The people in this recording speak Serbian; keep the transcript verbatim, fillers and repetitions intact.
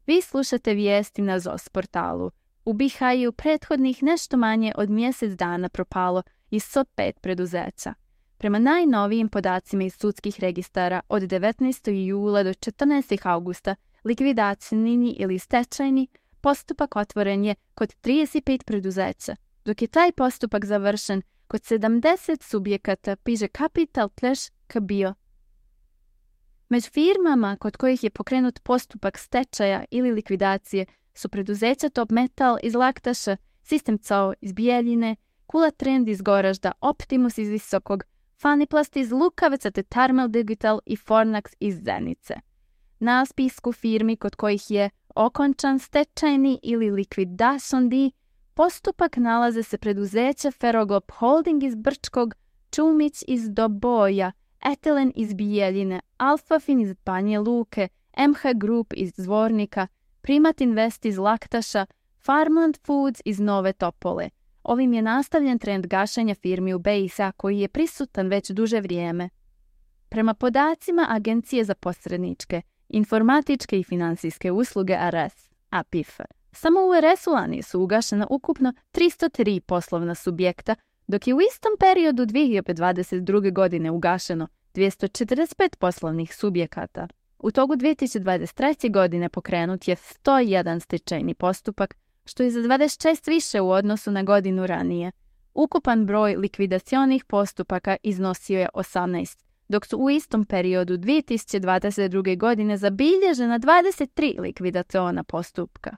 Vi slušate vijesti na Zos portalu. U Bihaju prethodnih nešto manje od mjesec dana propalo i sto pet preduzeća. Prema najnovijim podacima iz sudskih registara od devetnaestog jula do četrnaestog augusta likvidacijni ili stečajni postupak otvoren je kod trideset pet preduzeća, dok je taj postupak završen kod sedamdeset subjekata, piše Capital Clash K B I O. Među firmama kod kojih je pokrenut postupak stečaja ili likvidacije su preduzeća Top Metal iz Laktaša, System C O iz Bijeljine, Kula Trend iz Goražda, Optimus iz Visokog, Faniplast iz Lukavca te Thermal Digital i Fornax iz Zenice. Na spisku firmi kod kojih je okončan stečajni ili liquidation deed postupak nalaze se preduzeća Ferroglob Holding iz Brčkog, Čumić iz Doboja, Etelen iz Bijeljine, Alfafin iz Banje Luke, M H Group iz Zvornika, Primat Invest iz Laktaša, Farmland Foods iz Nove Topole. Ovim je nastavljen trend gašenja firmi u B i S, koji je prisutan već duže vrijeme. Prema podacima Agencije za posredničke, informatičke i finansijske usluge A R S, A P I F, samo u R S-u lani su ugašena ukupno tristo tri poslovna subjekta, dok je u istom periodu dvije hiljade dvadeset druge. godine ugašeno dvjesto četrdeset pet poslovnih subjekata. U toku dvije tisuće dvadeset treće. godine pokrenut je sto jedan stečajni postupak, što je za dvadeset šest više u odnosu na godinu ranije. Ukupan broj likvidacionih postupaka iznosio je osamnaest, dok su u istom periodu dvije tisuće dvadeset druge. godine zabilježena dvadeset tri likvidaciona postupka.